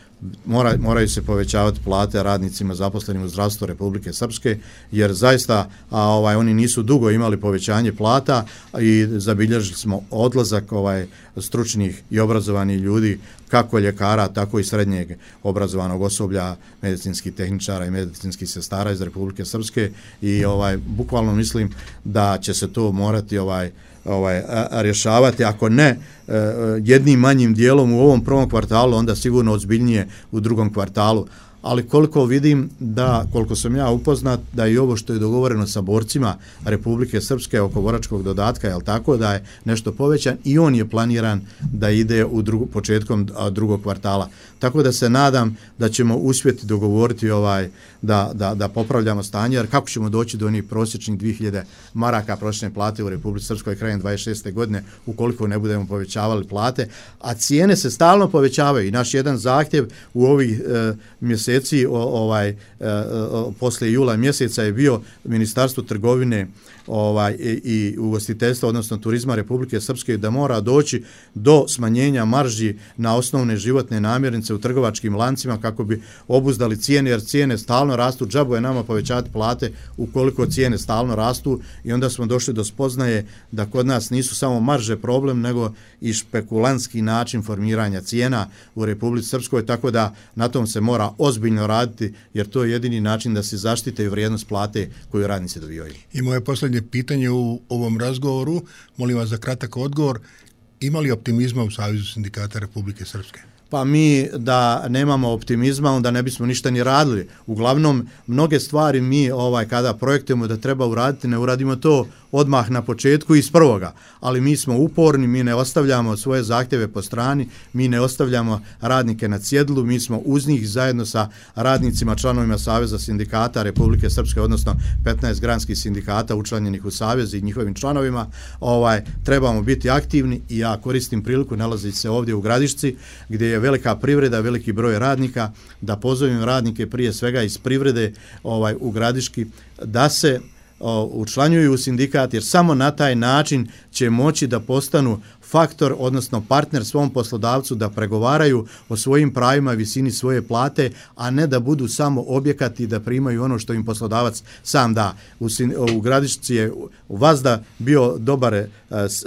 Mora, moraju se povećavati plate radnicima zaposlenim u zdravstvu Republike Srpske, jer zaista a, ovaj oni nisu dugo imali povećanje plata i zabilježili smo odlazak ovaj stručnih i obrazovanih ljudi, kako ljekara, tako i srednjeg obrazovanog osoblja, medicinskih tehničara i medicinskih sestara iz Republike Srpske i ovaj bukvalno mislim da će se to morati ovaj ovaj rješavati, ako ne jednim manjim dijelom u ovom prvom kvartalu, onda sigurno ozbiljnije u drugom kvartalu. Ali koliko vidim da, koliko sam ja upoznat, da i ovo što je dogovoreno sa borcima Republike Srpske oko boračkog dodatka, je tako, da je nešto povećan i on je planiran da ide u drugu, početkom drugog kvartala. Tako da se nadam da ćemo uspjeti dogovoriti ovaj da, da, da popravljamo stanje, jer kako ćemo doći do onih prosječnih dvije hiljade maraka prosječne plate u Republici Srpskoj krajem dvadeset šeste godine ukoliko ne budemo povećavali plate, a cijene se stalno povećavaju i naš jedan zahtjev u ovih e, mjeseci o, ovaj e, o, poslije jula mjeseca je bio Ministarstvo trgovine ovaj i, i ugostiteljstva, odnosno turizma Republike Srpske, da mora doći do smanjenja marži na osnovne životne namirnice u trgovačkim lancima kako bi obuzdali cijene, jer cijene stalno rastu, džabo je nama povećati plate ukoliko cijene stalno rastu, i onda smo došli do spoznaje da kod nas nisu samo marže problem, nego i špekulantski način formiranja cijena u Republici Srpskoj, tako da na tom se mora ozbiljno raditi, jer to je jedini način da se zaštite vrijednost plate koju radnici dobivaju. I moje posljednje pitanje u ovom razgovoru, molim vas za kratak odgovor, ima li optimizma u Savezu sindikata Republike Srpske? Pa mi da nemamo optimizma, onda ne bismo ništa ni radili. Uglavnom, mnoge stvari mi ovaj kada projektujemo da treba uraditi, ne uradimo to odmah na početku iz prvoga, ali mi smo uporni, mi ne ostavljamo svoje zahtjeve po strani, mi ne ostavljamo radnike na cjedilu, mi smo uz njih zajedno sa radnicima, članovima Saveza sindikata Republike Srpske, odnosno petnaest granskih sindikata učlanjenih u Savez i njihovim članovima, ovaj trebamo biti aktivni, i ja koristim priliku, nalazi se ovdje u Gradišci, gdje je velika privreda, veliki broj radnika, da pozovem radnike prije svega iz privrede ovaj u Gradiški da se učlanjuju u sindikat, jer samo na taj način će moći da postanu faktor, odnosno partner svom poslodavcu, da pregovaraju o svojim pravima, visini svoje plate, a ne da budu samo objekat i da primaju ono što im poslodavac sam da. U, u Gradišci je u Vazda bio dobar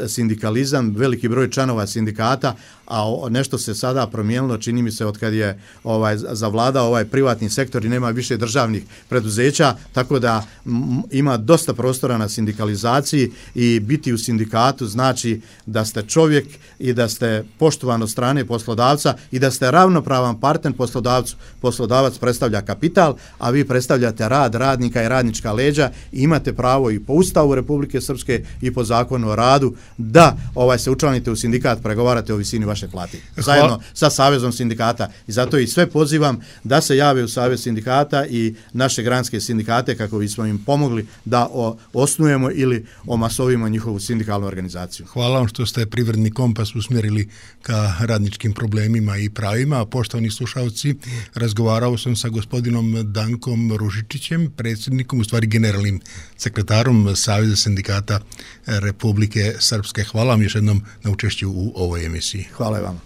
sindikalizam, veliki broj članova sindikata, a nešto se sada promijenilo, čini mi se, od kad je ovaj zavladao ovaj privatni sektor i nema više državnih preduzeća, tako da m, ima dosta prostora na sindikalizaciji, i biti u sindikatu znači da ste čovjek i da ste poštovan od strane poslodavca i da ste ravnopravan partner poslodavcu. Poslodavac predstavlja kapital, a vi predstavljate rad radnika i radnička leđa, i imate pravo i po Ustavu Republike Srpske i po Zakonu o radu da ovaj se učlanite u sindikat, pregovarate o visini vaše plate zajedno Hvala. sa Savezom sindikata, i zato i sve pozivam da se jave u Savez sindikata i naše granske sindikate kako bismo im pomogli da o, osnujemo ili omasovimo njihovu sindikalnu organizaciju. Hvala vam što ste Privredni kompas usmjerili ka radničkim problemima i pravima. Poštovani slušalci, razgovarao sam sa gospodinom Dankom Ružičićem, predsjednikom, u stvari generalnim sekretarom Saveza sindikata Republike Srpske. Hvala vam još jednom na učešću u ovoj emisiji. Hvala vam.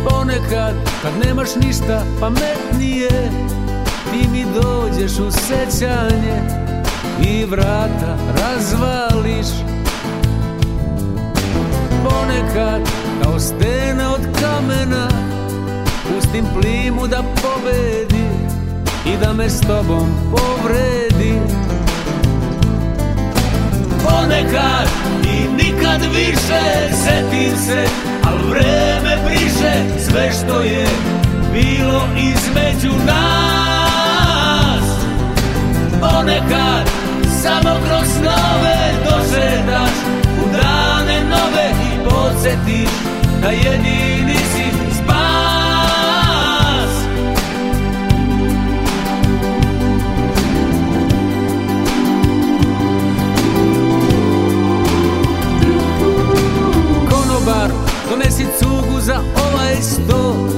Ponekad, kad nemaš ništa pametnije, ti mi dođeš u sećanje i vrata razvališ. Ponekad, kao stena od kamena, pustim plimu da pobedi i da me s tobom povredi. Ponekad i nikad više setim se, al vreme briše sve što je bilo između nas. Ponekad samo kroz snove dođe podsjetiš da jedini si spas. Konobar, donesi cugu za ovaj sto,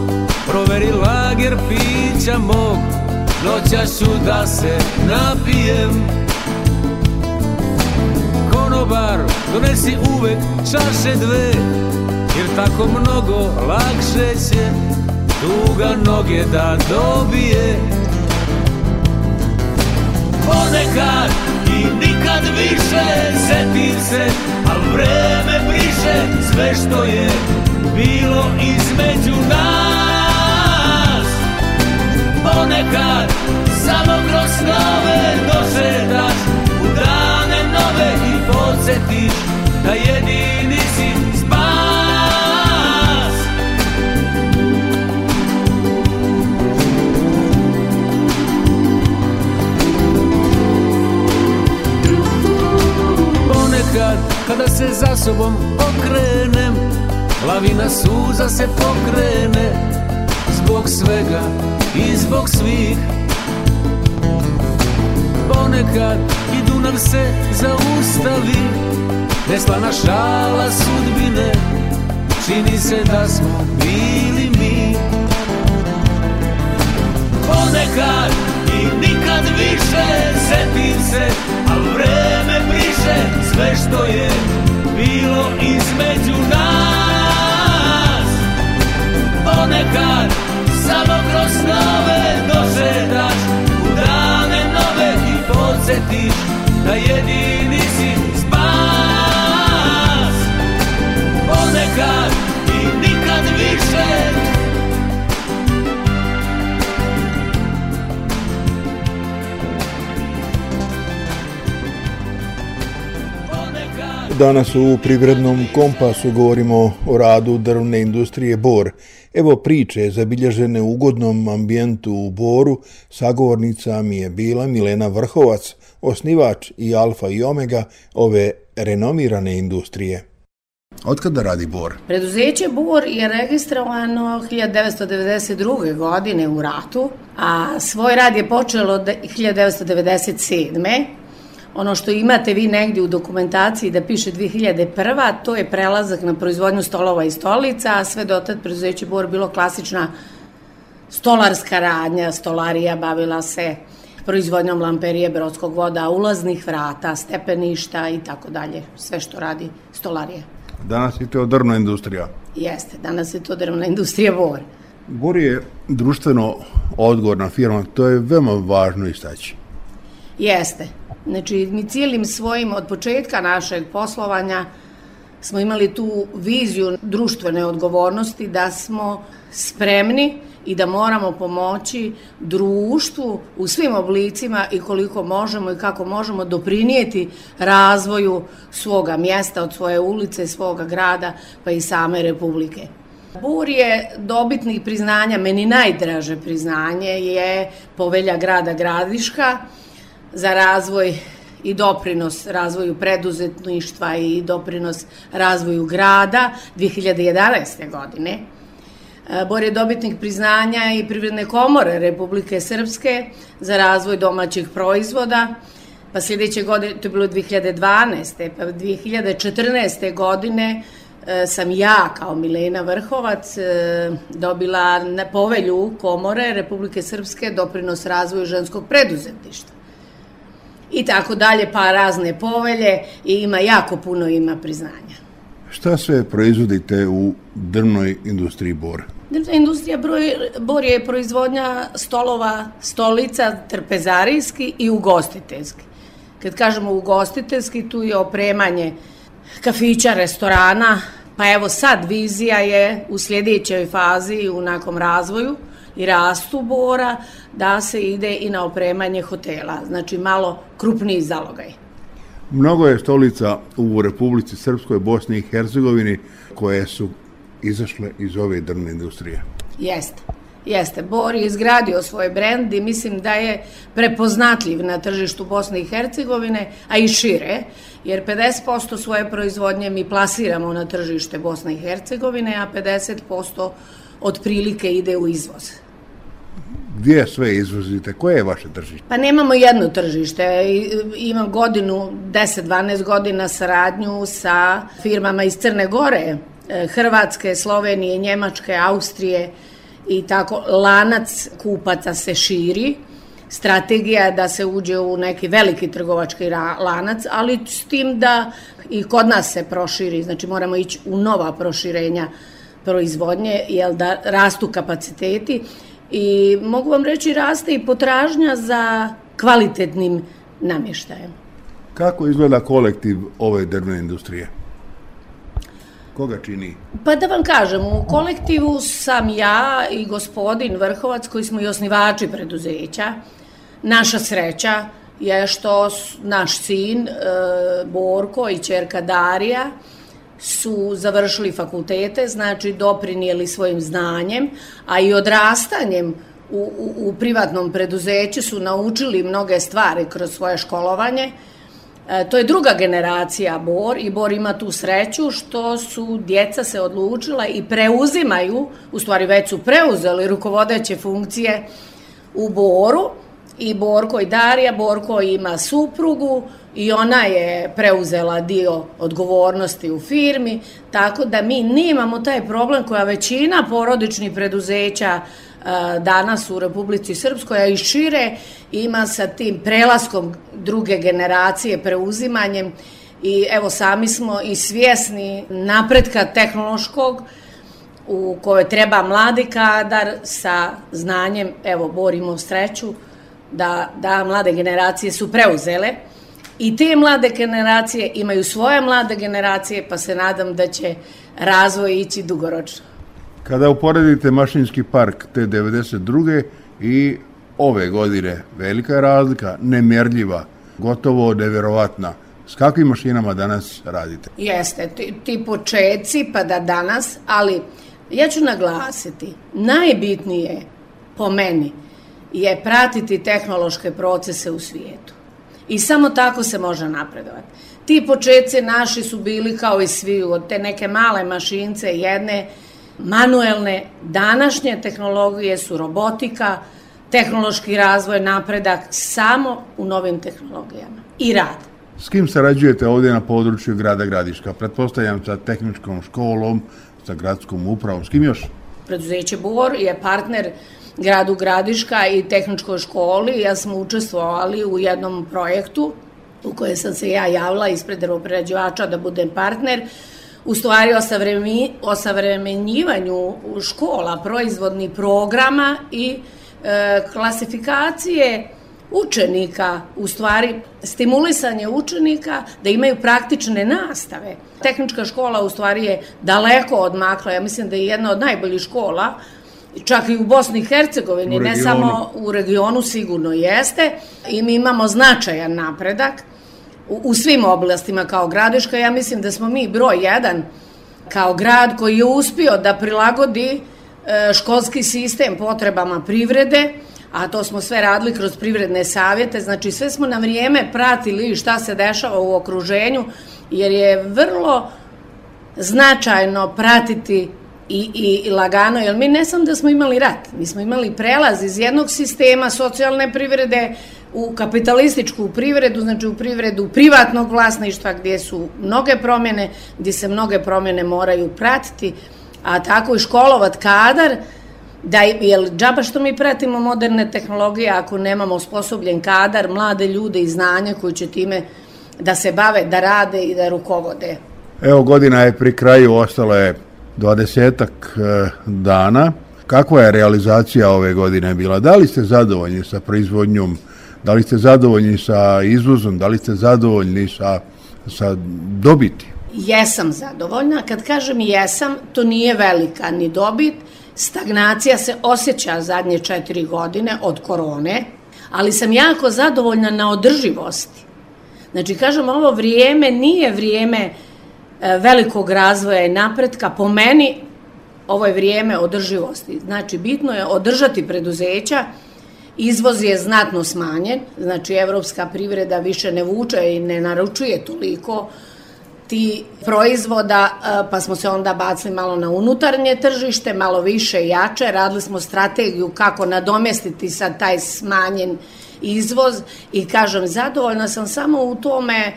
proveri lager pića mog, noćašću da se napijem. Konobar, donesi uvek čaše dve, jer tako mnogo lakše će tuga noge da dobije. Ponekad i nikad više setim se, al vreme briše sve što je bilo između nas. Ponekad samo kroz snove došetaš u dane nove i podsjetiš da jedini si spas. Ponekad kada se za sobom okrenem, lavina suza se pokrene, zbog svega i zbog svih. Ponekad i Dunav se zaustavi, neslana šala sudbine, čini se da smo bili mi. Ponekad i nikad više setim se, al vreme briše sve što je bilo između nas. Ponekad samo kroz snove došetaš u dane nove i podsjetiš da jedini si spas. Ponekad i nikad više. Danas u Privrednom kompasu govorimo o radu drvne industrije Bor. Evo priče zabilježene u ugodnom ambijentu u Boru. Sagovornica mi je bila Milena Vrhovac, osnivač i alfa i omega ove renomirane industrije. Otkada radi Bor? Preduzeće Bor je registrovano hiljadu devetsto devedeset druge. godine u ratu, a svoj rad je počelo hiljadu devetsto devedeset sedme. Ono što imate vi negdje u dokumentaciji da piše dve hiljade prva. to je prelazak na proizvodnju stolova i stolica, a sve dotad preduzeće Bor bilo klasična stolarska radnja, stolarija, bavila se proizvodnjom lamperije, brodskog voda, ulaznih vrata, stepeništa i tako dalje, sve što radi stolarija. Danas je to drvna industrija. Jeste, danas je to drvna industrija Bor. Bor je društveno odgovorna firma, to je veoma važno istaći. Jeste. Znači, mi cijelim svojim, od početka našeg poslovanja smo imali tu viziju društvene odgovornosti da smo spremni i da moramo pomoći društvu u svim oblicima i koliko možemo i kako možemo doprinijeti razvoju svoga mjesta, od svoje ulice, svoga grada, pa i same Republike. Bor je dobitnik priznanja, meni najdraže priznanje je Povelja grada Gradiška za razvoj i doprinos razvoju preduzetništva i doprinos razvoju grada dve hiljade jedanaeste. godine. Bor je dobitnik priznanja i Privredne komore Republike Srpske za razvoj domaćih proizvoda, pa sljedeće godine, to je bilo dve hiljade dvanaeste. pa dve hiljade četrnaeste. godine sam ja kao Milena Vrhovac dobila na Povelju komore Republike Srpske doprinos razvoju ženskog preduzetništva. I tako dalje, pa razne povelje i ima jako puno ima priznanja. Šta sve proizvodite u drvnoj industriji Bor? Drvna industrija Bor je proizvodnja stolova, stolica, trpezarijski i ugostiteljski. Kad kažemo ugostiteljski, tu je opremanje kafića, restorana, pa evo sad vizija je u sljedećoj fazi u nekom razvoju i rastu Bora da se ide i na opremanje hotela, znači malo krupniji zalogaj. Mnogo je stolica u Republici Srpskoj, Bosni i Hercegovini koje su izašle iz ove drvne industrije. Jeste. Jeste, Bor je izgradio svoj brend i mislim da je prepoznatljiv na tržištu Bosne i Hercegovine, a i šire, jer pedeset posto svoje proizvodnje mi plasiramo na tržište Bosne i Hercegovine, a pedeset posto otprilike ide u izvoz. Gdje sve izvozite? Koje je vaše tržište? Pa nemamo jedno tržište. Imam godinu, deset do dvanaest godina saradnju sa firmama iz Crne Gore, Hrvatske, Slovenije, Njemačke, Austrije i tako. Lanac kupaca se širi. Strategija je da se uđe u neki veliki trgovački lanac, ali s tim da i kod nas se proširi. Znači moramo ići u nova proširenja proizvodnje, jer da rastu kapaciteti. I mogu vam reći, raste i potražnja za kvalitetnim namještajem. Kako izgleda kolektiv ove drvne industrije? Koga čini? Pa da vam kažem, u kolektivu sam ja i gospodin Vrhovac, koji smo i osnivači preduzeća. Naša sreća je što naš sin e, Borko i ćerka Darija su završili fakultete, znači doprinijeli svojim znanjem, a i odrastanjem u, u, u privatnom preduzeću su naučili mnoge stvari kroz svoje školovanje. E, to je druga generacija Bor i Bor ima tu sreću što su djeca se odlučila i preuzimaju, u stvari već su preuzeli rukovodeće funkcije u Boru. I Borko i Darija, Borko ima suprugu i ona je preuzela dio odgovornosti u firmi, tako da mi nemamo taj problem koja većina porodičnih preduzeća danas u Republici Srpskoj, a i šire, ima sa tim prelaskom druge generacije, preuzimanjem. I evo, sami smo i svjesni napretka tehnološkog u kojoj treba mladi kadar sa znanjem. Evo, borimo sreću da, da mlade generacije su preuzele i te mlade generacije imaju svoje mlade generacije, pa se nadam da će razvoj ići dugoročno. Kada uporedite mašinski park te devedeset druge i ove godine, velika je razlika, nemjerljiva, gotovo nevjerovatna. S kakvim mašinama danas radite? Jeste, ti, ti počeci pa da danas, ali ja ću naglasiti, najbitnije po meni je pratiti tehnološke procese u svijetu. I samo tako se može napredovati. Ti počeci naši su bili kao i svi, od te neke male mašince, jedne manuelne. Današnje tehnologije su robotika, tehnološki razvoj, napredak samo u novim tehnologijama i rad. S kim sarađujete ovdje na području grada Gradiška? Pretpostavljam sa tehničkom školom, sa gradskom upravom, s kim još? Preduzeće Bor je partner gradu Gradiška i tehničkoj školi. Ja smo učestvovali u jednom projektu u kojem sam se ja javila ispred drvoprerađivača da budem partner. U stvari osavremenjivanju škola, proizvodnih programa i e, klasifikacije učenika, u stvari stimulisanje učenika da imaju praktične nastave. Tehnička škola u stvari je daleko odmakla, ja mislim da je jedna od najboljih škola, čak i u Bosni i Hercegovini, ne samo u regionu, sigurno jeste, i mi imamo značajan napredak u, u svim oblastima kao Gradiška. Ja mislim da smo mi broj jedan kao grad koji je uspio da prilagodi e, školski sistem potrebama privrede, a to smo sve radili kroz privredne savjete, znači sve smo na vrijeme pratili šta se dešava u okruženju, jer je vrlo značajno pratiti I, i, i lagano, jer mi ne samo da smo imali rat, mi smo imali prelaz iz jednog sistema socijalne privrede u kapitalističku privredu, znači u privredu privatnog vlasništva gdje su mnoge promjene, gdje se mnoge promjene moraju pratiti, a tako i školovat kadar, da, jer džaba što mi pratimo moderne tehnologije ako nemamo osposobljen kadar, mlade ljude i znanja koji će time da se bave, da rade i da rukovode. Evo, godina je pri kraju, ostalo je dvadesetak dana. Kakva je realizacija ove godine bila? Da li ste zadovoljni sa proizvodnjom? Da li ste zadovoljni sa izvozom? Da li ste zadovoljni sa, sa dobiti? Jesam zadovoljna. Kad kažem jesam, to nije velika ni dobit. Stagnacija se osjeća zadnje četiri godine od korone, ali sam jako zadovoljna na održivosti. Znači, kažem, ovo vrijeme nije vrijeme velikog razvoja i napretka. Po meni, ovo je vrijeme održivosti. Znači, bitno je održati preduzeća, izvoz je znatno smanjen, znači evropska privreda više ne vuče i ne naručuje toliko ti proizvoda, pa smo se onda bacili malo na unutarnje tržište, malo više i jače, radili smo strategiju kako nadomestiti sad taj smanjen izvoz i kažem, zadovoljna sam samo u tome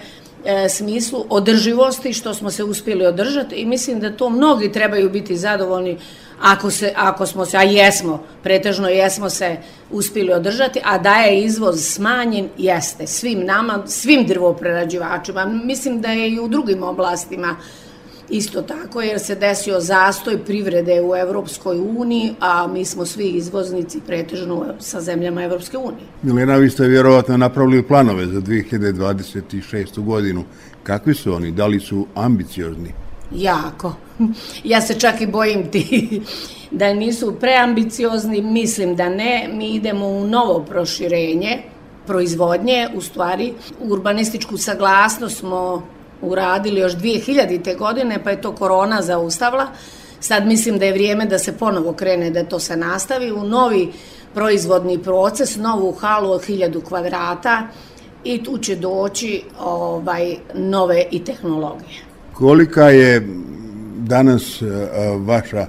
e, smislu održivosti što smo se uspjeli održati i mislim da to mnogi trebaju biti zadovoljni ako, se, ako smo se, a jesmo, pretežno jesmo se uspjeli održati, a da je izvoz smanjen, jeste, svim nama, svim drvoprerađivačima, mislim da je i u drugim oblastima isto tako, jer se desio zastoj privrede u Evropskoj uniji, a mi smo svi izvoznici pretežno sa zemljama Evropske unije. Milena, vi ste vjerovatno napravili planove za dvije hiljade dvadeset šestu godinu. Kakvi su oni? Da li su ambiciozni? Jako. Ja se čak i bojim ti da nisu preambiciozni, mislim da ne. Mi idemo u novo proširenje proizvodnje, u stvari urbanističku saglasnost smo uradili još dvije hiljadite godine, pa je to korona zaustavila. Sad mislim da je vrijeme da se ponovo krene, da to se nastavi u novi proizvodni proces, novu halu od hiljadu kvadrata i tu će doći ovaj, nove i tehnologije. Kolika je danas vaša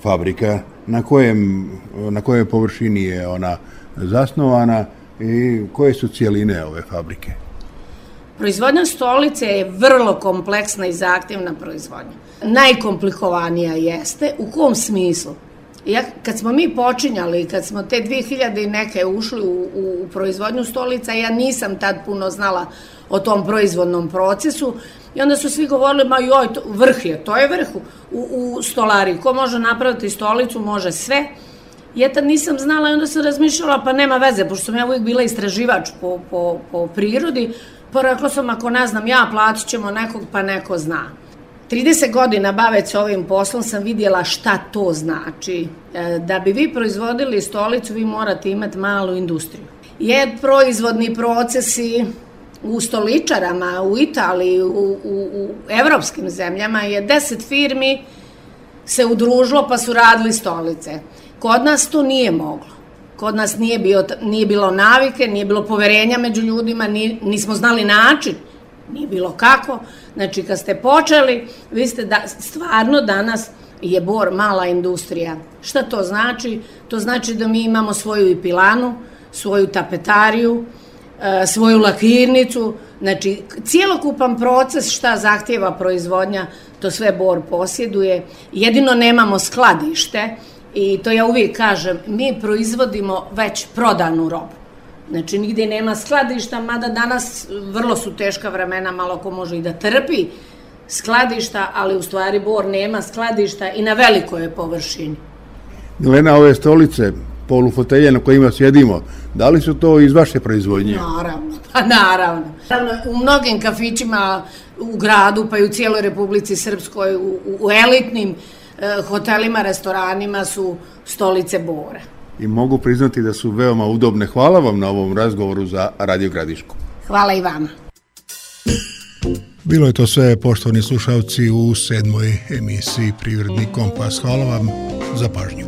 fabrika, na kojem, na kojoj površini je ona zasnovana i koje su cijeline ove fabrike? Proizvodnja stolice je vrlo kompleksna i zahtjevna proizvodnja. Najkomplikovanija jeste. U kom smislu? Ja, kad smo mi počinjali, kad smo te dvije hiljade i neke ušli u, u, u proizvodnju stolica, ja nisam tad puno znala o tom proizvodnom procesu i onda su svi govorili, ma joj, to, vrh je, to je vrh u, u stolari. Ko može napraviti stolicu, može sve. Ja tad nisam znala i onda sam razmišljala, pa nema veze, pošto sam ja uvijek bila istraživač po, po, po prirodi, pa rekla sam, ako ne znam ja, platit ćemo nekog, pa neko zna. trideset godina baveć se ovim poslom sam vidjela šta to znači. Da bi vi proizvodili stolicu, vi morate imati malu industriju. Jer proizvodni procesi u stoličarama, u Italiji, u, u, u evropskim zemljama je deset firmi se udružilo pa su radili stolice. Kod nas to nije moglo. Kod nas nije, bio, nije bilo navike, nije bilo poverenja među ljudima, nije, nismo znali način, nije bilo kako. Znači, kad ste počeli, vi ste da, stvarno danas je Bor mala industrija. Šta to znači? To znači da mi imamo svoju i pilanu, svoju tapetariju, svoju lakirnicu, znači cijelokupan proces šta zahtjeva proizvodnja, to sve Bor posjeduje. Jedino nemamo skladište i to ja uvijek kažem, mi proizvodimo već prodanu robu. Znači nigdje nema skladišta, mada danas vrlo su teška vremena, malo ko može i da trpi skladišta, ali u stvari Bor nema skladišta i na velikoj je površini. Milena, ove stolice, polufotelje na kojima sjedimo, da li su to iz vaše proizvodnje? Naravno, pa naravno. U mnogim kafićima u gradu, pa i u cijeloj Republici Srpskoj, u, u elitnim eh, hotelima, restoranima su stolice Bora. I mogu priznati da su veoma udobne. Hvala vam na ovom razgovoru za Radio Gradišku. Hvala i vama. Bilo je to sve, poštovani slušalci, u sedmoj emisiji Privredni kompas. Hvala vam za pažnju.